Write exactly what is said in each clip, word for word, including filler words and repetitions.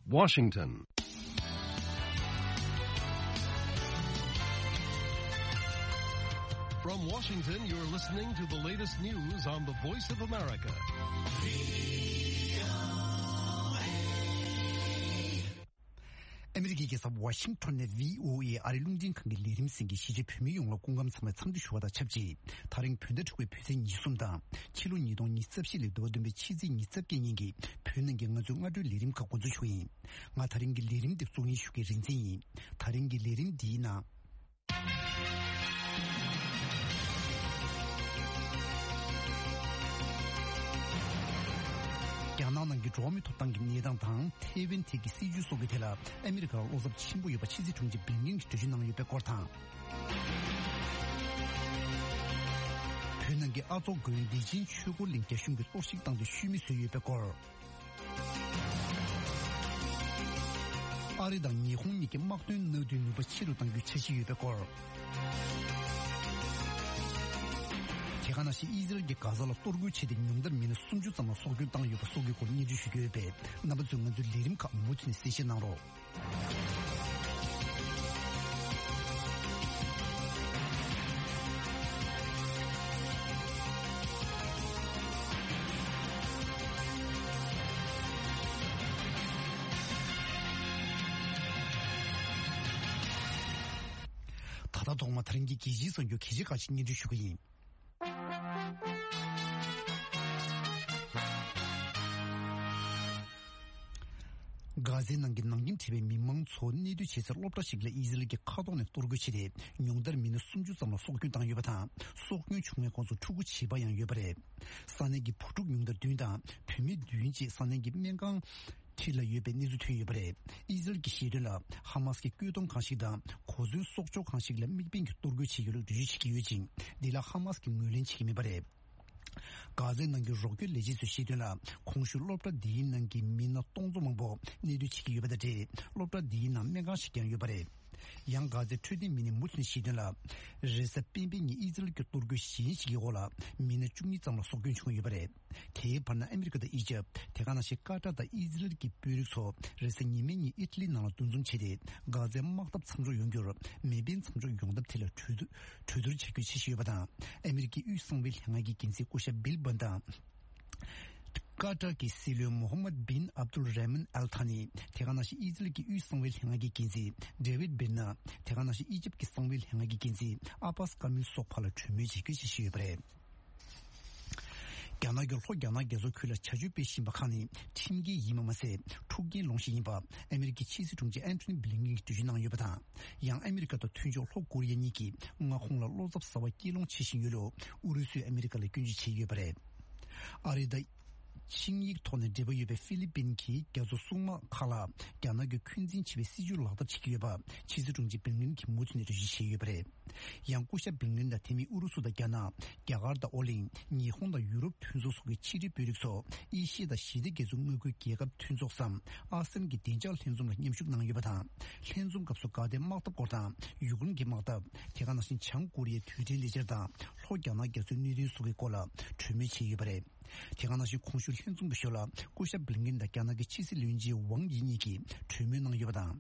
Washington. From Washington, you're listening to the latest news on the Voice of America. 아메리카에서 워싱턴의 브이오에이 아리룽진 관계 리림생기 시제 표미용로 공감 참여 참두쇼다 첩지 다른 편대축의 표생 이숨다 칠운 이동 이습실이 도든비 치즈 이습경인기 표는 경우 중 아주 리림 갖고 주쇼인 마 다른 게 리림 득종이 슈게 린생이 다른 게 리림 디나 야나는 게 조미 토당기 니당당 태빈티기 시주 속에 되라 아메리카 로섭 친구 여바 치즈 중지 빙빙 주진낭 옆에 거탕 편한게 아조 근디진 추고 링케 슝게 소식당도 쉬미스 옆에 걸 아리당 니홍니게 막된 너든 여바 치료당기 체시 옆에 걸 대가나시 이들게 가자라 또르구치된 놈들 미는 숨주잖아 속을 땅 옆에 속을 고니 주시게 배 나부증은 줄 리림 가 무슨 세시나로 다다 동마 다른 게 기지서 요 기지까지 니 주시고 가제 남긴 남긴 티비 민망 촌니도 제설 롭다식래 이슬게 카도네 또르그치리 용들 미는 숨주sam로 속균 땅 여바다 속균 중에 건수 투구 치바양 여바래 산내기 포죽 용들 뒤다 표미 뒤인지 산내기 명강 틸라 예베 니즈 퇴여버래 이슬기 시르라 하마스기 끄동 강시다 고주 속조 강식래 미빙 또르그치기를 뒤지기 유진 딜라 하마스기 물린 치기미버래 가제는 그 로켓 레지스 시드라 공슈롭다 디는 기 미나 동조망보 니르치기 유바데 롭다 디나 메가시견 유바레 양가제 트디 미니 무슨 시드라 제세 빈빈이 이들 그 또르그 신식이 올라 미네 중리 장로 속균 중 유바레 대반나 아메리카다 이제 대가나시 까다다 이들 기 뷰르소 레스니미니 이틀리 나노 둔중체데 가제 막답 참조 연결 메빈 참조 용답 텔레 추드 추드르 체크 시시유바다 아메리키 유성빌 향하기 긴세 고샤 빌번다 까타기 실루 모하메드 빈 압둘 레멘 알타니 테가나시 이즐기 유성빌 향하기 긴세 데비드 빈나 테가나시 이집기 성빌 향하기 긴세 아바스 카밀 소팔 추미지 그 시시유바레 야나결 호야나게서 쿨라 차주 배신 박하니 팀기 이마마세 투기 롱시인바 아메리키 치즈 중지 앤토니 블링기 주진낭 여바다 양 아메리카도 튠조 호코리아니기 응아 홍라 로섭사와 기롱 치신유로 우르스 아메리카를 군지 체여바레 아리다 칭익 톤의 데버유베 필리핀기 겨소 숭마 칼라 야나게 퀸진 집에 시주라다 치기여바 치즈 중지 빌린 김모진의 주시여바레 양쿠샤 빌린다 팀이 우르수다 야나 야가르다 올린 니혼다 유럽 튠조 속의 치리 뷰릭소 이시다 시대 계속 먹고 기회가 튠족삼 아스는기 딘절 튠종을 님축 낭여바다 튠종 값소 가데 막다 거다 유근 기막다 대가나신 창고리의 뒤질리저다 로야나 계속 니리 속의 꼴라 주미치 여바레 대가나시 공슈 현종 부셔라 고샤 블링긴다 까나게 치실 륜지 왕이니기 최면낭 여바다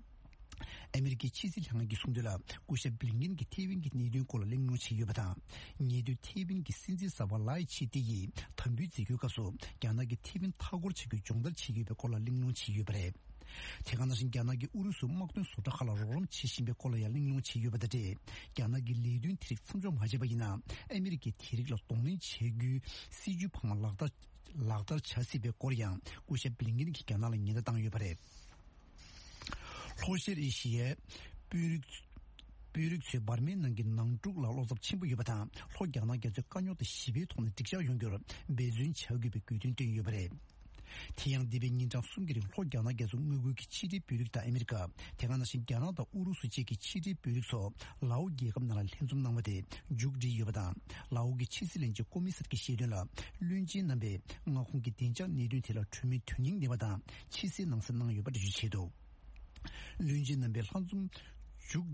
아메리키 치실 향하기 송들라 고샤 블링긴기 티빙기 니륜 콜 링노치 여바다 니드 티빙기 신지 사발라이 치티기 탐비 지교가서 까나게 티빙 타고르 치교 종들 치기베 콜 링노치 여바레 대가나신 까나게 우르스 막던 소다 칼라로름 치신베 콜야 링노치 여바다데 까나게 리륜 트릭 삼좀 하제바이나 아메리키 트릭로 동네 체규 시주 방말락다 락달 차시베 코리안 고셰 블링긴 기간나는 니다 땅 여바레 호시리시에 뷰릭 뷰릭체 바르멘는 게 낭죽 라로섭 친구 여바다 호갸나게 저 간요도 십이 톤의 딕샤 연결 베준 차기베 귀든데 여바레 티양 디베닌장 숨기리 호갸나게 좀 누구기 치리 뷰릭다 아메리카 대가나신 캐나다 우루스 지기 치리 뷰릭소 라우기 감나랄 헨좀 남데 죽지 여바다 라우기 치실렌지 코미스기 시르라 륜지 남베 응아홍기 딘장 니르텔라 추미 튜닝 네바다 치시 능선능 여바디 주체도 륜지 남베 한좀 죽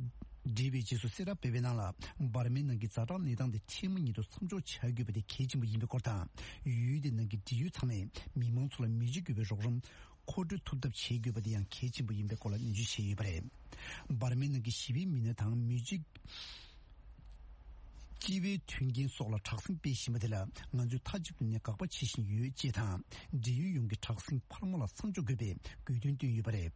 디비지수 세라 베베나라 바르멘는 게 자란 니당데 팀은이도 삼조 차규베데 계지무 임베 거다 유유되는 게 디유 참에 미망출의 미지규베 조금 코드 톱답 체규버디양 개진부 인백골라 인주 체유버래 바르면은 기 십이 미네당 뮤직 기회 튕긴 속라 착승 배심들라 먼저 타집네 각바 치신 유지타 지유용기 착승 팔모라 선조급에 귀든도 유버래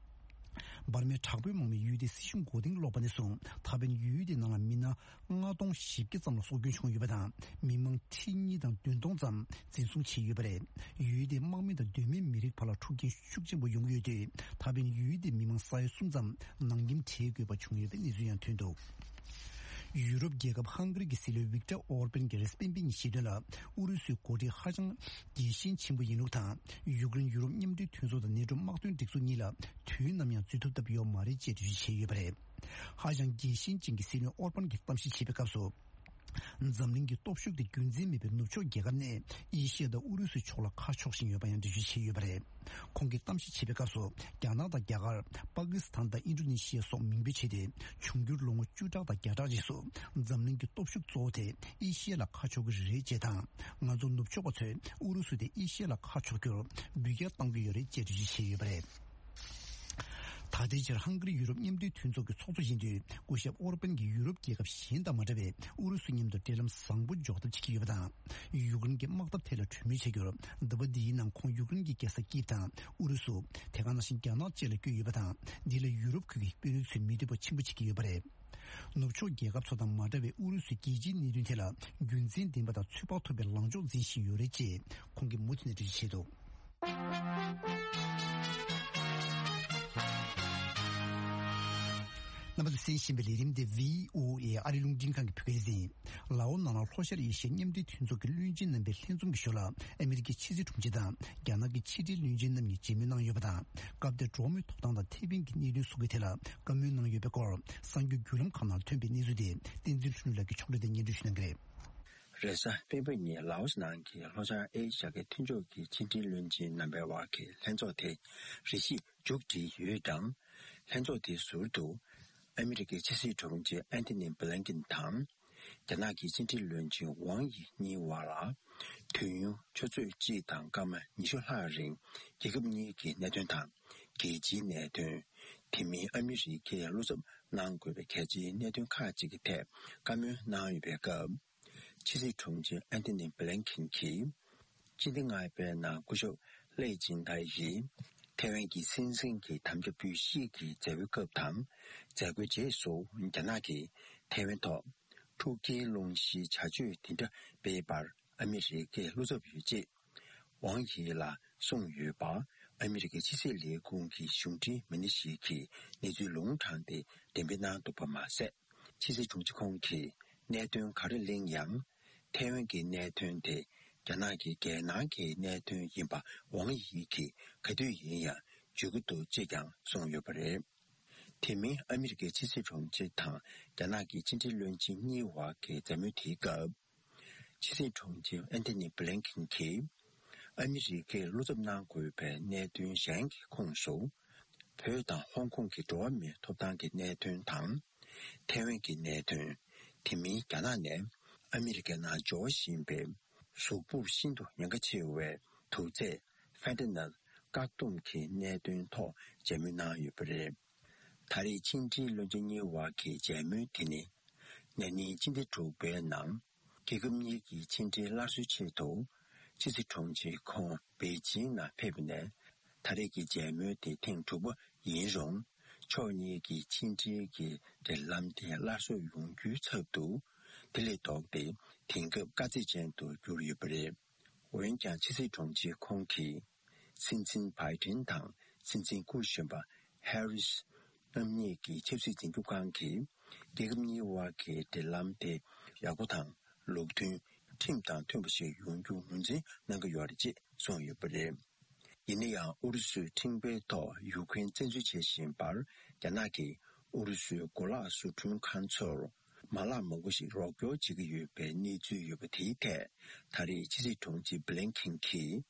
바르메 착부 몸이 유디 시중 고딩 로반에서 타변 유디 나라 미나 응아동 십기 점로 소균총 유버다 민망 티니당 둔동점 진송 치유버래 유디 망미의 되면 미리 팔아 추기 축지부 용유디 타변 유디 민망 사이 순점 남김 체규바 중요된 이주연 튼도 유럽 계급 한그리기 실로 빅터 오르벤 게레스빈빈 시들라 우르스 고디 하정 디신 친구 인우타 유그린 유럽 님들 튼소다 내좀 막든 딕소니라 튀남야 쥐토다 비오 마리 제주 체유버래 하정 디신 징기 실로 오르벤 기tam시 치베갑소 zamlingi topshuk de gunzimi be nucho gegamne 이시에도 우르스 초라 카촉신 여반연 디시 체유버래 공기 땀시 치베가서 캐나다 개갈 파키스탄다 인도네시아 속 민비체데 중규롱 주자다 개자지소 zamlingi topshuk 조데 이시에라 카촉을 제다 나좀 높초고체 우르스데 이시에라 카촉교 비게 땅비열의 제주시 체유버래 다대절 한글이 유럽님들 튼속의 소소신들 고시 오르벤기 유럽 기업 신다 말에 우르스님들 대름 상부 조도 지키기보다 유근기 막다 테러 취미체결 더버디난 콩 유근기께서 기타 우르스 대가나신 견나 제를 교육보다 딜의 유럽 그게 비르스 미드버 침부치기버래 노초 기업 소단 말에 우르스 기진 니르텔라 균진 딘바다 추바토베 랑조 지시 요레지 공기 모친의 지시도 남아도 신신벨리림데 브이오에이 아리룽진칸기 표기지 라온나나 호셜이 신님디 튼속을 륜진는 벨린좀 비쇼라 아메리키 치즈 중지다 야나기 치즈 륜진는 지민낭 여보다 갑데 조미 톡당다 티빙기 니르 수게텔라 감윤낭 여베고 상규 규름 카날 튼비 니즈디 딘질춘르기 초르데 니르시는 그래 그래서 페베니 라오스난기 로자 에이샤게 튼조기 치즈 륜진 넘버와기 렌조테 리시 죽지 유당 렌조티 수도 아메리카 지시 총재 앤토니 블랭킨 탐 자나기 진지 런칭 왕이 니와라 퇴유 최最基党干们你说他人这个你给那段堂给几那段提名阿米是给路上难过的开机那段卡几个台干们难一别个其实총재 앤토니 블랭킨 키今天外边那个说累进台戏台湾嘅新生嘅談嘅必須嘅社會溝談，在佢接受人家那嘅台灣島，土基龍是差距定的北巴，阿米是嘅陸續表節，往日啦宋語吧，阿米是嘅其實列公嘅兄弟們的時期，你最農場的點邊那都不馬色，其實總之空氣，那段靠的領養，台灣嘅那段的。자나기 개나기 내든 임바 왕이기 그들이야 죽도 제강 송여버래 팀이 아메리카 지시 총재탕 자나기 진질론지 니와 개자뮤티가 지시 총재 앤토니 블랭킨키 아메리카 로즈난 고베 내든 샹기 공소 배당 홍콩기 도미 토단기 내든 당 태원기 내든 팀이 자나네 아메리카 나 조신베属部新度两个气味土在反正呢各动起那段套节目呢有不是他的经济论证业务给节目听呢那你今天主办人这个你给经济拉出去头就是重庆看北京那配不呢他的给节目的听主播引用去年给经济给的蓝天拉出用具测度这里到底听个各自监督就有不了。我们讲其实中期空气，新增排天堂，新增故选吧。Harris， 那么你给就是进入关系，这个你话给的蓝的亚布堂路途，听当听不是用用文字那个原理解，所以不了。因那样，俄罗斯听北到有关政治前线吧，在那个俄罗斯国拉苏中看错了。马拉某个是老表几个月被你最有个体态，他的其实统计不能看起，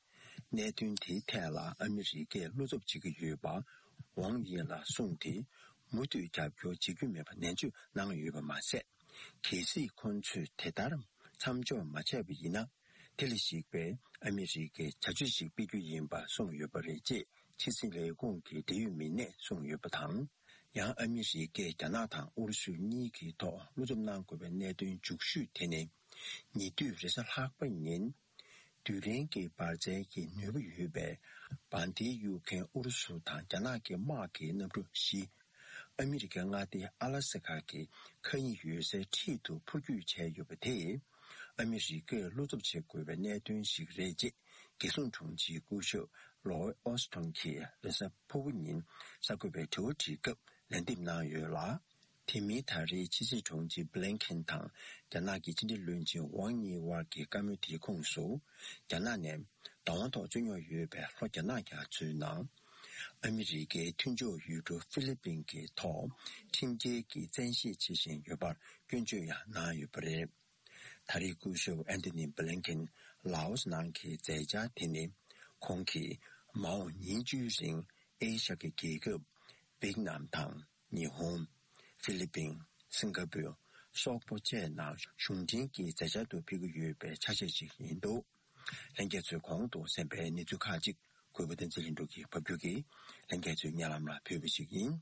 那段体态啦，阿米是给六十几个月吧，往年啦送的，每对代表几个月吧，年就那个月吧马赛，其实看出太大了，参照马赛不一样，这里是被阿米是给查出是比较严吧，送月吧理解，七十类共给地域民内送于不同。yang ami shi ge janatang ursu ni ki to luzum nang ko ben ne dun jukshu tene ni du resa hak ban nin du ren ge par je ki nyu yu be ban di yu ken ursu ta jana ge ma ge na bu shi america nga de alaska ge kan yu se ti du pu yu che yu be de ami shi ge luzum che ko ben ne dun shi re je ge sun chung ji gu shu lo austin ki resa pu nin sa ko be to ji ge 랜딤 나유라 티미타리 지지 종지 블랭켄탕 자나기 진지 륜지 왕니 와기 까뮤티 공소 자나네 당원도 중요 유배 로자나가 주나 아메리게 튼조 유도 필리핀게 토 팀제기 전시 지신 유발 근주야 나유브레 다리구쇼 앤더니 블랭켄 라오스 난키 제자 티니 공기 마오 니주신 에이샤게 계급 베트남, 일본, 필리핀, 싱가포르, 소포제나 중진기 제자도 비교유배 차세지 인도 랭게즈 광도 선배 니주카지 고부된 진도기 법규기 랭게즈 냐람라 표비식인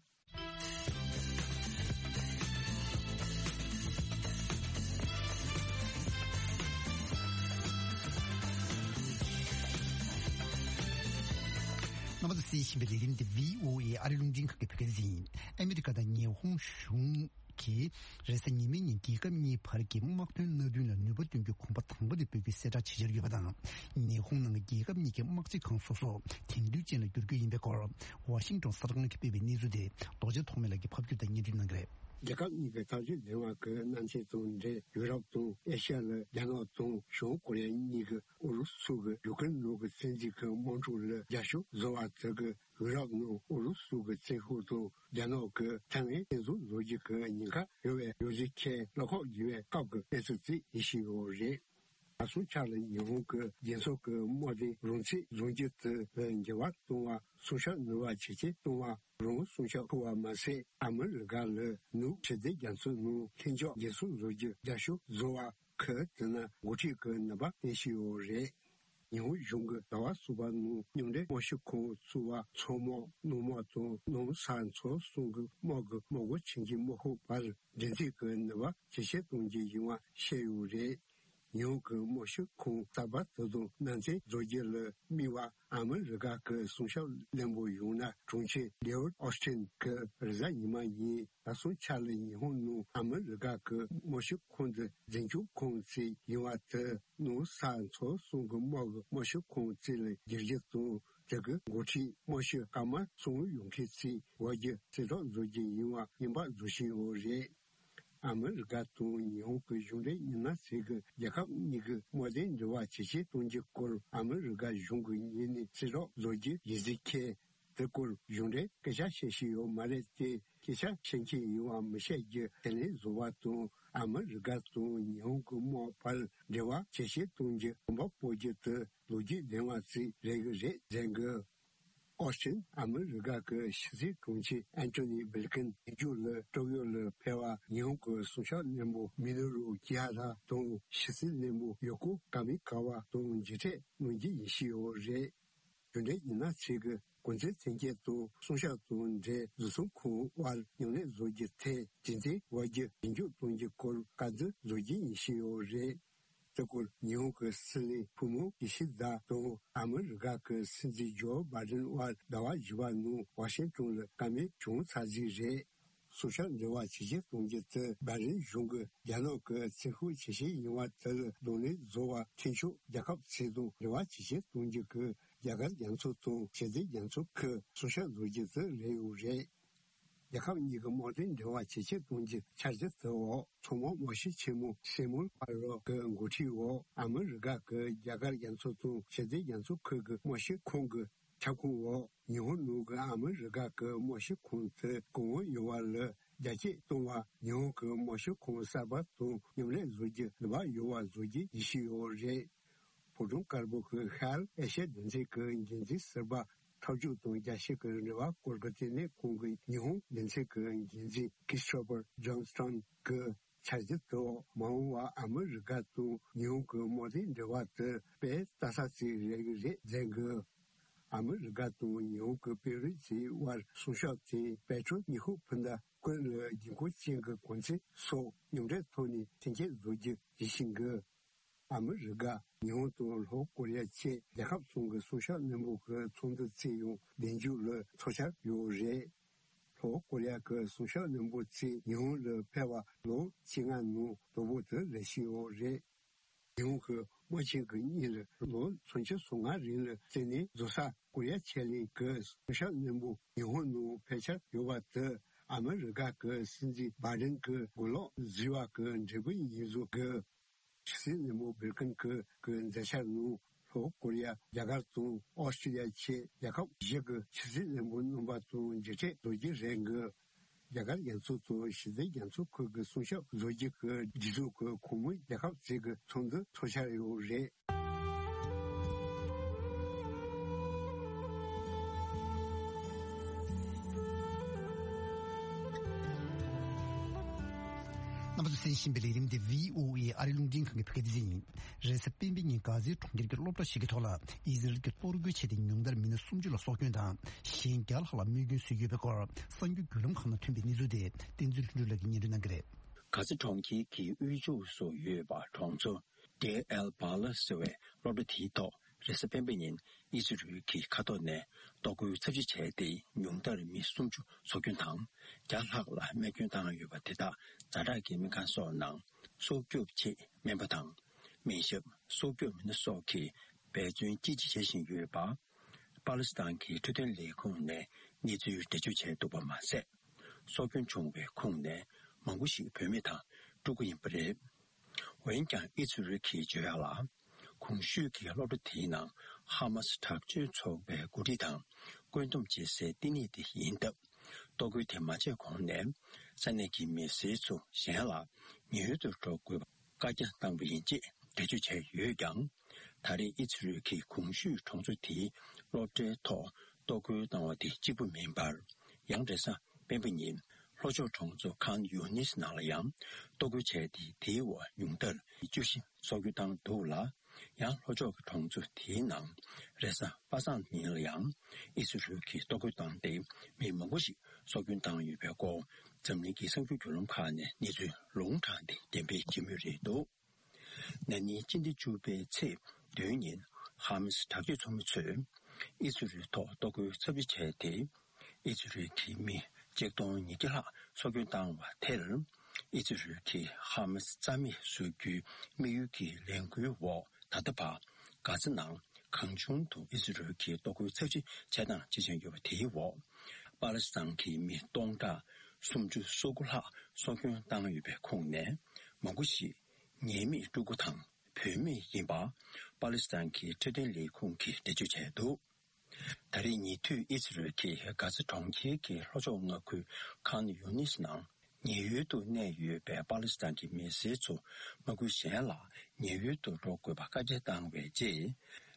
那么是新北的 V O A 阿里龙金可给人，美国的霓虹熊ki resa nimi ni diga mi parki makten no dun no botun ge kompa tangbo de pege seta chijir ge badang ni hong nang diga mi ge makchi khang so so tingdu chen le gurge yimbe ko Washington sargang ki pebe ni zu de doje thomela ge phapju da ni dun nang re 제가 이게 다시 내가 그 난체 동데 유럽도 에시아의 양어동 쇼고래 이거 우르수가 요근 로그 센지 그 몬주를 야쇼 조아 저거 유럽노 우르수가 제후도 양어 그 당에 계속 로지 그 니가 요에 요지케 로고 유에 가고 에스지 이시오제 아수차는 이용그 연속 그 모든 론치 론지트 연계와 동화 소셜 노화 지지 동화 론 소셜 고와 마세 아물가르 누 제대 연수 누 현조 예수 로지 야쇼 조아 그드나 오지 그 나바 예시오레 요 용그 나와 수반무 용데 모시코 수와 초모 노모도 농산초 송그 먹그 먹고 친지 먹고 발 전지 그 나와 제시 동지 용화 셰유레 요그 모시코 사바도도 난제 조jel을 미와 아메리카 그 소셜 렘보유나 중치 려 오스틴 그 리자이마이 아소찰이 혼노 아메리카 그 모시콘데 전주 콘시 요아트 노산초 송고 모그 모시콘지를 제제도 저그 고치 모시 까마 송용케시 와제 제도 조지 요아 임바 조시오레 아메리카 또 일본 중에 있는 세계 약간 이거 모든 조화 지시 동지 꼴 아메리카 중국인이 지로 로지 이지케 그 중에 그자 시시요 말했지 기사 신치 요아 메시지 텔레 조화도 아메리카 또 일본 모팔 조화 지시 동지 뭐 보지트 로지 대화시 레그제 쟁거 Austin, 아메리카 그 시지 공치 앤토니 블링컨 이줄러 토요러 페와 일본 소셜 네모 미누루 기하다 동 시지 네모 요코 가미카와 동 지체 문제 이시오제 근데 이나 지금 군제 생계도 소셜 돈제 주소코 와 용내 조지테 진제 와제 인주 동지 콜 가즈 조지 이시오제 저걸 일본 스리 부모 이시다 또 아메리카 그 신지조 바든와 나와 지와누 워싱턴을 감히 중사지제 소셜 조화 지지 동지트 바른 중국 야노 그 세후 지시 이와들 논의 조화 친추 약합 제도 조화 지시 동지 그 야간 양소도 제대 양소 그 소셜 조지트 레우제 약간 이거 모든 대화 지시 동지 찾았어. 초모 모시 치무 세물 바로 그 고치고 아메리카 그 야간 연소도 제대 연소 그 모시 콩그 자꾸고 일본 누가 아메리카 그 모시 콩트 공원 요알을 야지 동화 일본 그 모시 콩사바도 요래 조지 바 요와 조지 이시오제 보존 깔보 그 할 에셰 된지 그 인지 서바 타주 동자 시그르와 골거티네 공기 일본 연세 그 인지 키스토퍼 존스턴 그 차지도 마우와 아메리카도 일본 그 모든 대화트 베 다사시 레그제 쟁그 아메리카도 뉴욕 베르지 와 소셜티 배출 니호 분다 그 인구 진거 권세 소 용제 돈이 진짜 로지 이신거 아메리카 뉴욕도 코리아체 대합송거 소셜 넘버그 총도 제용 연구를 소셜 요제 코리아 그 소셜 넘버치 뉴욕의 배와 로 진안노 도부터 레시오제用个目前个你了，我从前送俺人了，这里做啥？国家签的个小人物，用我拍下有话的，俺们人家个甚至把人个过了，只话个这个民族个，其实人物不跟个个在下路。和国家一个从澳大利亚去，一个一个其实人物能把从这些逻辑人个。一个演出做现在演出各个从小逻辑和技术和科目也好，这个从这脱下来有人。那么是新北里面的 V O A 阿里龙金坑的拍的人，这是边边人家在从这个老多西个头了，一直个多个车的用的民的送去了少军党，先搞好了每个水月不高，三个golem可能特别你做的，顶住住了个年度那个嘞。可是长期给宇宙所约吧创作 D L 巴勒斯为老多提到，这是边边人一直于给看到呢，到过自己车的用的民送去少军党，加好了每军党约吧提到。咱俩给民间所能，所举起面不堂，民衆所举民的所起，北军积极性约吧，巴勒斯坦给这段利空呢，你只有得就钱都不马塞，所军中为空呢，蒙古系表面堂，如果人不认，我应讲一直是起就要啦，空虚给老的体能，哈马斯塔就错为古地堂，关东节是第二的引导。多个天马界空难，在那个面试处先了，女的做过，大家当不应接，这就才越讲，他的一次去空虚创作题，落这套多个当我的基本明白，杨德上并不人，老就创作看有你是哪了样，多个才的题我用的，就是所有当多了。yang lo jo tong zu ti nang resa pasan ni liang isu ju ki to ko dang de mi mo go xi so gyun dang yu bia go zhen li ki seng ju ju long ka ne ni zu long chang de dian bei ji mi ri do na ni jin de ju bei ce de yin ham si ta ju chong chu isu ju to to ko ce bi che de isu ju ki mi je dong ni ji la so gyun dang wa te le isu ju ki ham si za mi su ju mi yu ki liang gu wo他的把嘎子囊康中土一直是去多个测试才能进行有提我巴勒斯坦去面东大送出收过了所跟当预备空难蒙古系年米如果糖平面引发巴勒斯坦去这点利空去的就程度他的泥土一直是去嘎子长期去老早我去看有你是囊年月度内月被巴勒斯坦的面试处蒙古县了年月度做过把这单位接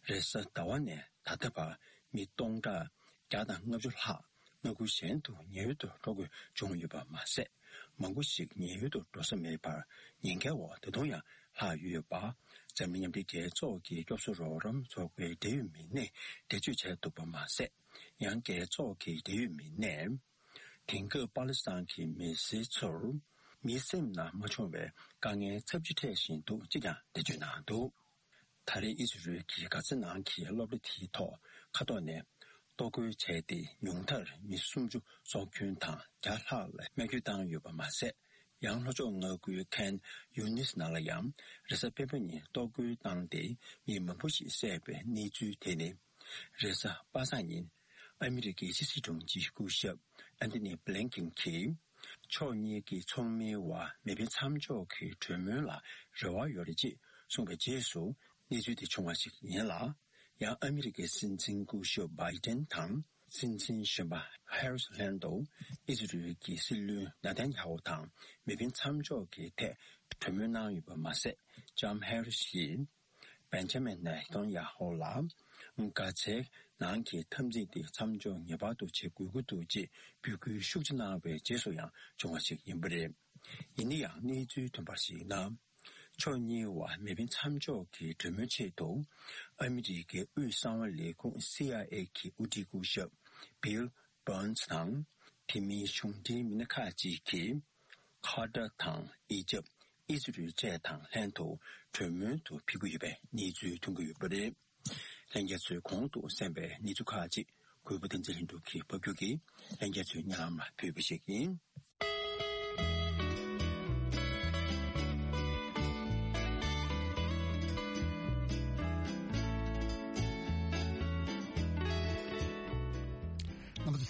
这是台湾呢他的把米东的家长我就哈蒙古县度年月度做过终于把马赛蒙古县年月度都是没把应该我的同样哈月把咱们的给做给就是说人做过地域民内的就才都把马赛让给做给地域民内听个巴勒斯坦去面试处面试呢没成为刚刚测试的程度这样的就难度他的意思是其个是难去老的提讨看到呢多个菜的用的你送出所权堂加下来每个当有把马赛让那种我个看有你是哪了样这是别别人多个当地你们不是设备你住的呢这是八三年アメリカ一系统技术学 Anthony Blinken 去去年嘅聪明話未必參照佢全面啦熱話有的節送俾結束你覺得從話是年啦讓アメリカ新政府學拜登堂新政學吧 Harris Landau 一直對嘅事律那天後堂未必參照佢嘅全面難與把馬色 John Harris Benjamin 呢當也好啦唔加切南期탐지的参照也把都切规个都接比如数字那为接受样中华式引不的因的样你最同把是呢 초니와 매빈 참조기 드면체도 아메리게 의상원리공 씨아이에키 우디구셔 빌 번스당 팀이 슝디 미나카지키 카더당 이접 이주류 제당 랜도 드면도 피구입에 니주 동구입에 랭게스 공도 선배 니주카지 구부된질hinduki 법규기 랭게스 냐마 표비식이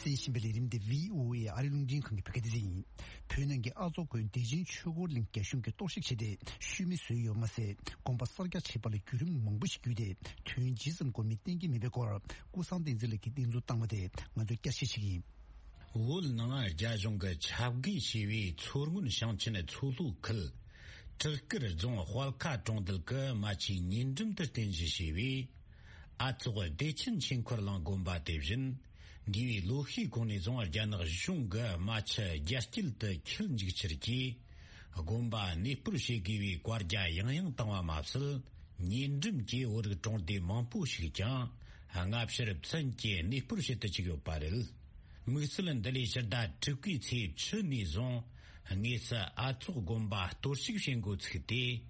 신벨리림데 브이오에이 아리룽진 관계 패키지 표현한 게 아주 그 대진 추고링 개심게 또식시대 쉬미 수요 맛에 공바설가 체발의 규름 몽부시규대 트윈지즘 고미팅기 미베고 구상된질기 딘조 땅마데 먼저 깨시시기 올나가 자종가 차기 시위 초르군 상친의 초루클 저거를 좀 활카 정들거 마치 닌좀들 된지 시위 아츠고 대친 친코랑 공바 대진 Givi lohi koni zongar janag shunga macha jastilta kilnjigchirki gomba nipur shegivi kwarja yangyang tangwa mapsil nindrim ki org tongde mampu shigchang ngapshirib tsanke nipur shetachigyo paril migsilan dali sharda tukki tsi chini zon ngesa atsuk gomba torshig shengu tsikite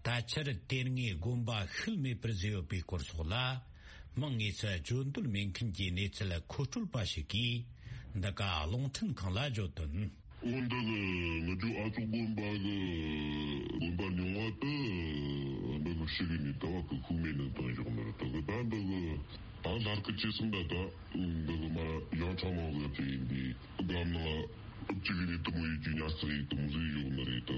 tachar tengi gomba khilme prezio pi korsugla Mangisa Jundul Minkinji Nitsala Kutul Pashiki, Daka Longton Kalajoton. Under the Naju Atu Gumbaga Gumbanyawata, under the Shigini Dawaka Kumin and Tanjamata, the band of the Anarchism Data, the Yatama in the Gamma Chigini to Muji Yasri to Muzi Narita,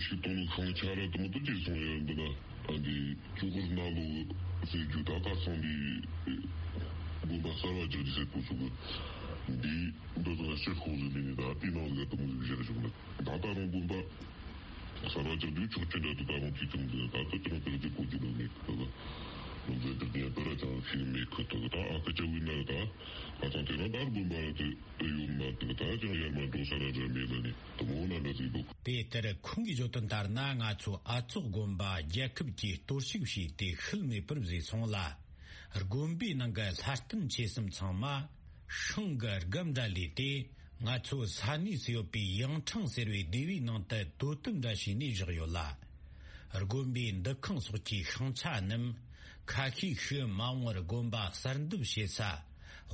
she told Kanchara to Mutajis and the Chukurnalu. C'est du data sont des Bombasara, je disais pour ce que des d'autres choses de l'État, puis non, les atomes de gestion. Data non bomba, ça va dire du tout, tu n'as pas un petit peu de data, tu n'as pas de côté de mec. Donc, je vais dire, tu as un film, mais que tu as un petit peu de data, attends, tu as un bomba, tu as une data, tu as un dos à la jamais l'année. Tout le monde a la zébo. Peter Kungi Jotan Darna, Atsu, Atsu Gomba, Jacob G, Torshivshi, the Hilme Purzi Sonla, Gombi Nanga, Haston Chesum Tsama, Shungar Gamdalite, Natsu Sani Siopi, Yang Chang Servi, Devi Nanta, Totum Dashi Nigeriola, Gombi, the Konsuki, Hanchanum, Kaki Hu Mawar Gomba, Sarndub Shesa,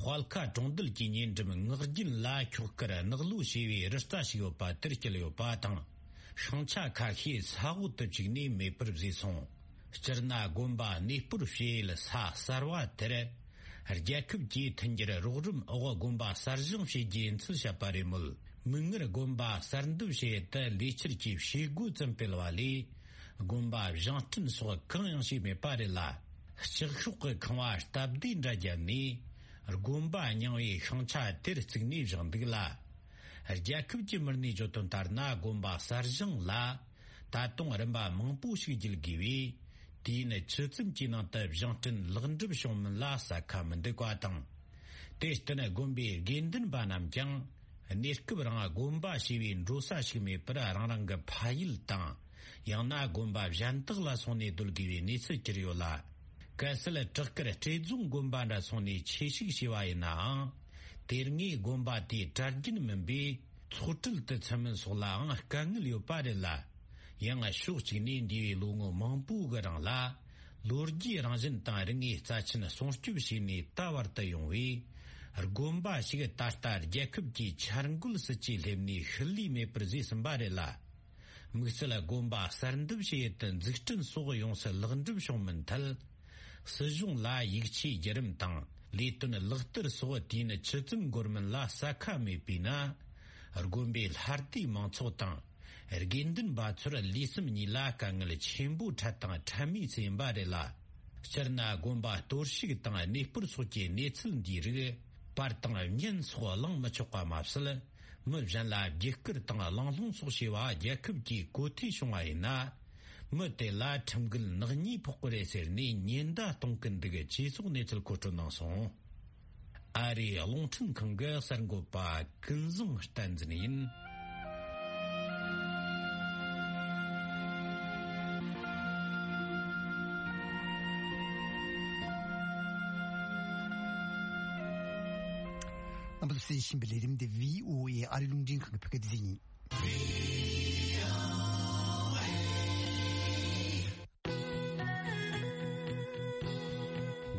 Hualka Tondel Kinyin, Nurjin La Chukara, Nurlu Shivi, Restashiopa, Terkeliopa Tang, Shancha Kaki, Saut Chigni, Me Purvison, Sterna Gomba, Nipur Fiel, Sa, Sarwa Tere, Her Jacob G. Tanger, Rorum, Owa Gomba, Sarjum Shiji, and Silshaparimul, Munger Gomba, Sarndu Sheta, Licher Chief, Shigu Zampelwali, Gomba, Janton, so Kanshi Me Parilla. Shirshuk Kawash Tabdin Rajani, Gumba Nyawi Shancha Tirsigni Jambila, Jacob Jimmerni Jotontarna Gumba Sarjang La, Tatong Ramba Mampushi Gilgiwi, Tina Chutzim Jinata Janton Lundub Shom La Sakam de Guatang. Testana Gumbi Ginden Banam Jang, Niskubra Gumba Shivin Rosa Shimi Pra Ranga Pail Tang, Yana Gumba Jantala Soni Dulgiwi Nitsa Kasala Turkara Tezum Gumbanda Soni Cheshi Shivaina, Terni Gumbati Targin Membi, Trutel Tetsaman Sola, Kangilio Padilla, Young Ashuchini Di Lungo Mampu Garangla, Lurgi Ranjenta Ringi Sachina Sonstubishini, Tawarta Yongwi, Gumba Shiga Tartar Jacob G. Charangul Sachi Lemni, Hili Me Prezis Barilla. Muxela Gumba Sarndubshet and Zixton So Yonsa Lundubshon Mental. Sejung La Yikchi Jerim Tang, Liton Luchter So Tina Chitum Gorman La Saka Me Pina, Argumbil Harti Mansotan, Erginden Batsura Lisum Nila Kangal Chimbu Tatang Tami Simbarela, Cherna Gumba Torshigtang, Nipur Soki, Netzel Dire, Partang Yen So Long Machoka Mapsala, Murjan La Jekir Tanga Long Soshiwa, Jacob G. Koti Shungaina. Mute la Tumgul Nani Pokore ni Nienda Tonkin de Chisu Natal Cotonason. Ari Longton Kanga Sangopa, Kilzum stands in. 신빌리림데 브이오에이 아리룽진 그 표게되니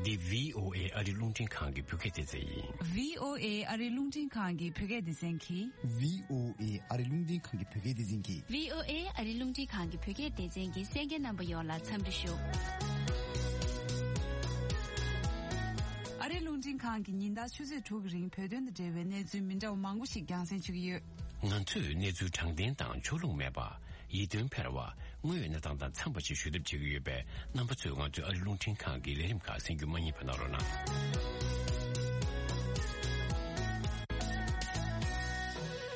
The V O A Arilungting Kangi Puketizei. V O A Arilungting Kangi Puketizinki. V O A Arilungting Kangi Puketizinki. V O A Arilungting Kangi Puketizinki second number yola Tambishu. Arilungting Kangi Ninda Chuzi Tugring Pedun the Dewe Nezu Minda Mangushi Gansen Chuyu. Nantu Nezu Changden Dang Chulung Meba. Yidun Perwa, Muyan Dang Tambachi should have Chigube, number two on to Arilungting Kangi, let him cast in Gumani Panorona.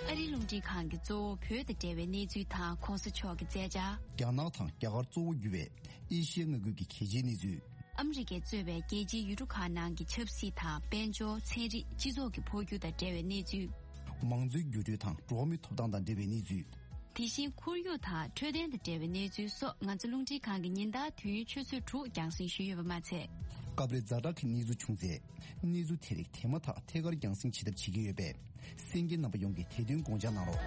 Arilungting Kangi Zo, Pur the Dewe Nezu Ta, Constitution Zeja. Ganatan, Gagarzo Yue, Ishian Gugi Kijinizu. Amrike Zube, Geji Yurukanangi Chipsita, Benjo, Teri, Jizoki Pogu the Dewe Nezu. Mangzu Yurutan, Dromi Todan the Dewe Nezu. Tishin Kuryu Ta, Treden the Dewe Nezu, so Nanzalungti Kangi Ninda, Tu Chusu Tru, Yangsing Shuyu Mate. Gabre Zarak Nizu Chungze, Nizu Terik, Temata, Tegar Yangsing Chidab Chigube, Singing Nabayongi, Tedun Gonjanaro.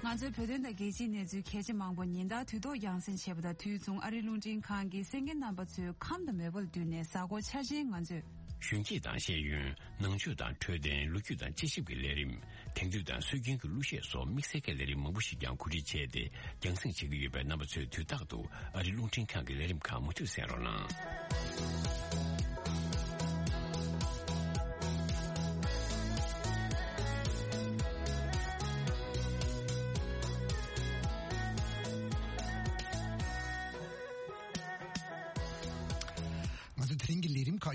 Nanzu Pedun the Geji Nezu Keji Mangbo Ninda, Tudo Yangsen Shebda, Tuzung Arilungting Kangi, singing number two, come the Mevel Dune, Sago Charging Nanzu. 巡记党协运能就党特定陆局党继续给来临听就党随经个路线所密切给来临蒙不是讲估计切的养生几个月呗那么就就大多而且龙天看给来临看么就散了呢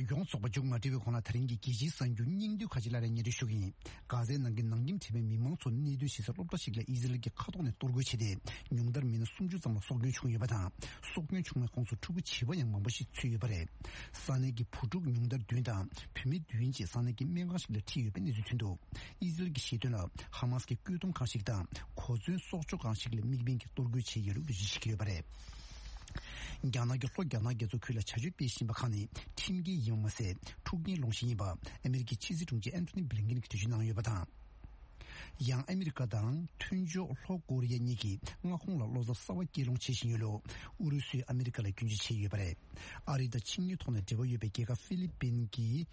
yung soba jungma dewe kona taringi giji san yu nyingdu kajilare nyeri shugi gaze nangin nangyim tebe mimang son nidu shisa lopta shigla izilagi kadone torgo chide nyungdar mina sumju zamla sogyun chung yubata sogyun chungma kongsu chugu chiba yang mambashi tsu yubare sanegi pujug nyungdar duinda pimi duinji sanegi menga shigla ti yubba nizu tundu izilagi shiduna hamaski gyudum kanshigda kozun sokchu kanshigla migbengi torgo chi yeru yishiki yubare Gyanagi lo gyanagi zo kula chaju beshin bakani timgi yimase tukni longshini ba Ameriki chizi chungji Anthony Blinken ki tujinang yobata yang Amerika dang tunjo lo Korea niki nga khongla lozo sawa kirong chishin yolo urusu Amerika la gyunji chi yobare arida chingyu tone dewa yobekega Philippine ki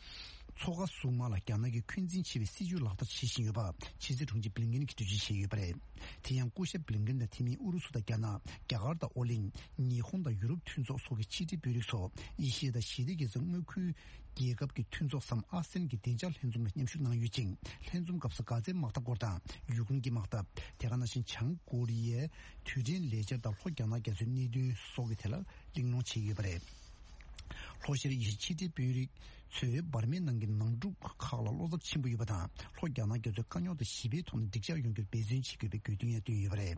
초가 수마라 갸나기 퀸진 치비 시주 라다 치신 여바 치즈 중지 블링긴 기두지 여바래 대양 고셰 블링긴 팀이 우르수다 갸나 갸가르다 올린 일본다 유럽 튠소 속의 치디 비릭소 이시에다 시디게 정그 계급기 튠소 삼 아센기 대절 현좀의 님슈나 유징 현좀 값까지 막다 거다 유군기 막다 대가나신 창고리에 튜진 레저다 호갸나게 준니드 속에 텔라 링노 치기버래 호시리 이시디 비릭 제 바르면 남긴 남주 칼라 로적 친구 이보다 호갸나 교적 간요도 십이 톤 딕자 연결 배진 시급의 교등에 되어버려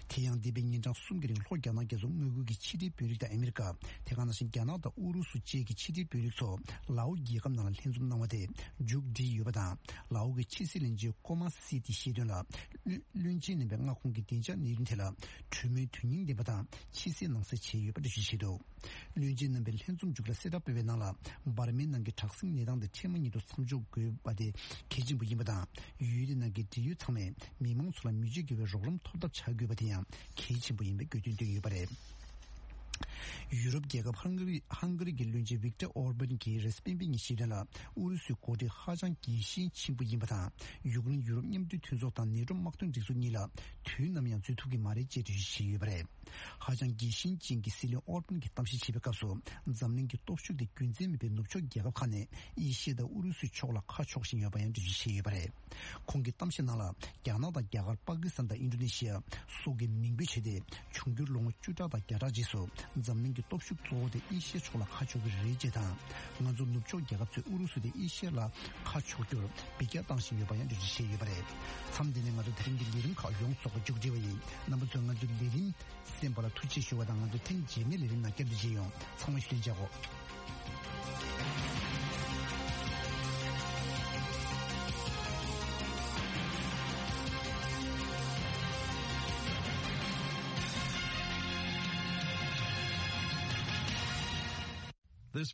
태양 디빙인장 숨기린 호갸나 계속 누구기 치디 비리다 아메리카 대가나신 캐나다 우루수 지역이 치디 비리소 라우기 감나는 현좀 나와대 죽디 이보다 라우기 치실인지 꼬마 시티 시드나 륜진의 병아 공기 된자 니른텔라 주미 튜닝데보다 치시 능세 체유버드 시시도 륜진의 벨 현좀 죽라 셋업 베나라 바르면 게 탁승 내당의 체문이도 삼주 그 바디 계진 부임보다 유일한 게 디유 참에 미망수라 뮤직의 조금 토답 차규바디야 계진 부임의 교준되기 바래 유럽 계급 한글이 한글이 길륜지 빅터 오르반 기 레스핀빙이 시달라 우르스 고디 하장 기신 친부임보다 유군 유럽님들 튼속단 니름 막던 디수니라 튀나면 주투기 말이 제주시 바래 하장 기신 진기 실리 오르반 기 땀시 집에가서 잠는 기 똑슈디 군진미 벤노초 계급 칸에 이시다 우르스 초라 카촉신 여바연 주시 바래 공기 땀시 나라 캐나다 계급 파키스탄다 인도네시아 속에 민비체데 중규롱 주자다 게라지소 zamning ki topshuk tsoode ishe chola khachog rejeeda nganzo nupchok gyagabze urusude ishe la khachog gyur bigya tangshin yobayan dhuji she yobare samdine ngazo teringi lirin ka yong soga jugjewayi nambuzo nganzo lirin sembala tuchi shewada nganzo ten jeme lirin na gyabdije yong samay shirin jago This